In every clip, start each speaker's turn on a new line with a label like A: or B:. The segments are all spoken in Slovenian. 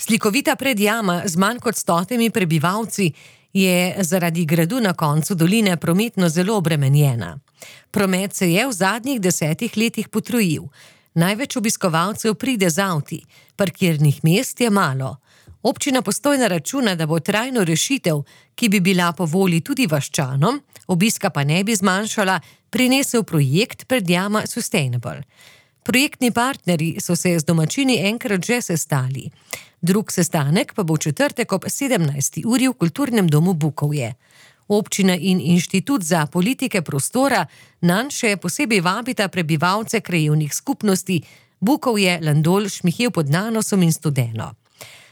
A: Slikovita predjama z manj kot 100 prebivalci je zaradi gradu na koncu doline prometno zelo obremenjena. Promet se je v zadnjih 10 letih potrojil. Največ obiskovalcev pride z avti, parkirnih mest je malo. Občina Postojna računa, da bo trajno rešitev, ki bi bila po volji tudi vaščanom, obiska pa ne bi zmanjšala, prinesel projekt predjama Sustainable. Projektni partnerji so se z domačini enkrat že sestali. Drug sestanek pa bo v četrtek ob 17. uri v Kulturnem domu Bukovje. Občina in Inštitut za politike prostora nanj še posebej vabita prebivalce krajevnih skupnosti Bukovje, Landol, Šmihelj pod Nanosom in Studeno.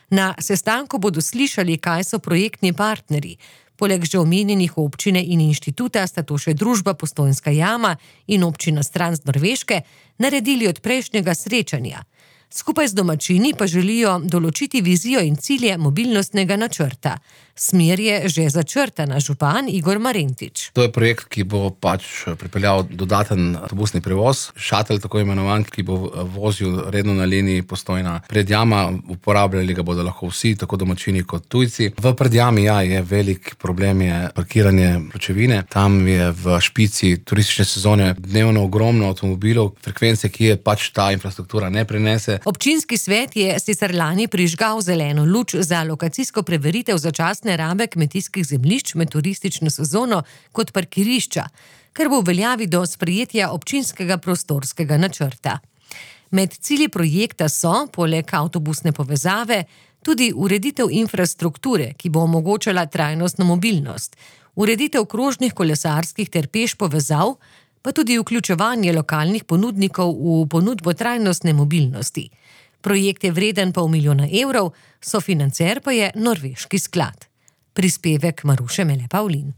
A: Na sestanku bodo slišali, kaj so projektni partnerji. Poleg že omenjenih občine in inštituta sta to še družba Postojnska jama in občina Stran z Norveške naredili od prejšnjega srečanja. Skupaj z domačini pa želijo določiti vizijo in cilje mobilnostnega načrta. Smer je že začrtana, župan Igor Marentič.
B: To je projekt, ki bo pripeljal dodaten avtobusni prevoz, šatel tako imenovan, ki bo vozil redno na liniji Postojna predjama. Uporabljali ga bodo lahko vsi, tako domačini kot tujci. V predjami je velik problem je parkiranje pločevine. Tam je v špici turistične sezone dnevno ogromno avtomobilov, frekvence, ki je ta infrastruktura ne prenese.
A: Občinski svet je sicer lani prižgal zeleno luč za lokacijsko preveritev začasne rabe kmetijskih zemljišč med turistično sezono kot parkirišča, kar bo v veljavi do sprejetja občinskega prostorskega načrta. Med cilji projekta so, poleg avtobusne povezave, tudi ureditev infrastrukture, ki bo omogočala trajnostno mobilnost, ureditev krožnih kolesarskih ter peš povezav, pa tudi vključevanje lokalnih ponudnikov v ponudbo trajnostne mobilnosti. Projekt je vreden $500 000, sofinancer pa je Norveški sklad. Prispevek Maruše Mele Pavlin.